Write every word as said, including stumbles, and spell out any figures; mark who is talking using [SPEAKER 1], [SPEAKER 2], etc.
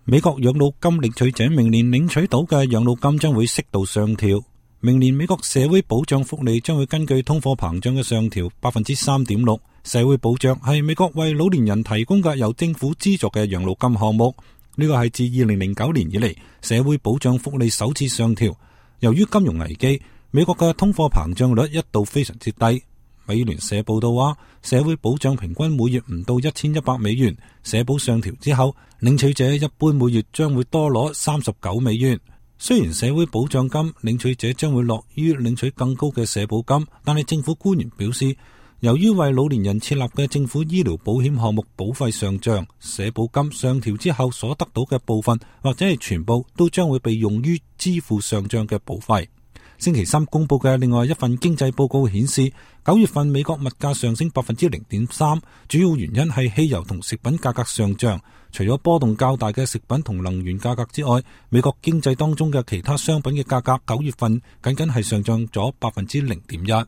[SPEAKER 1] 美國養老金領取者明年領取到嘅養老金將會適度上調。明年美國社會保障福利將會根據通貨膨脹嘅上調百分之三點六。社會保障係美國為老年人提供嘅由政府資助嘅養老金項目。呢個係自二零零九年以嚟社會保障福利首次上調。由於金融危機，美國嘅通貨膨脹率一度非常之低。美聯社報道話，社會保障平均每月唔到一千一百美元，社保上調之後，領取者一般每月將會多攞三十九美元。雖然社會保障金領取者將會樂於領取更高嘅社保金，但係政府官員表示，由於為老年人設立嘅政府醫療保險項目保費上漲，社保金上調之後所得到嘅部分或者係全部都將會被用於支付上漲嘅保費。星期三公布嘅另外一份經濟報告顯示，九月份美國物價上升百分之零點三，主要原因係汽油同食品價格上漲。除咗波動較大嘅食品同能源價格之外，美國經濟當中嘅其他商品嘅價格九月份僅僅係上漲咗百分之零點一。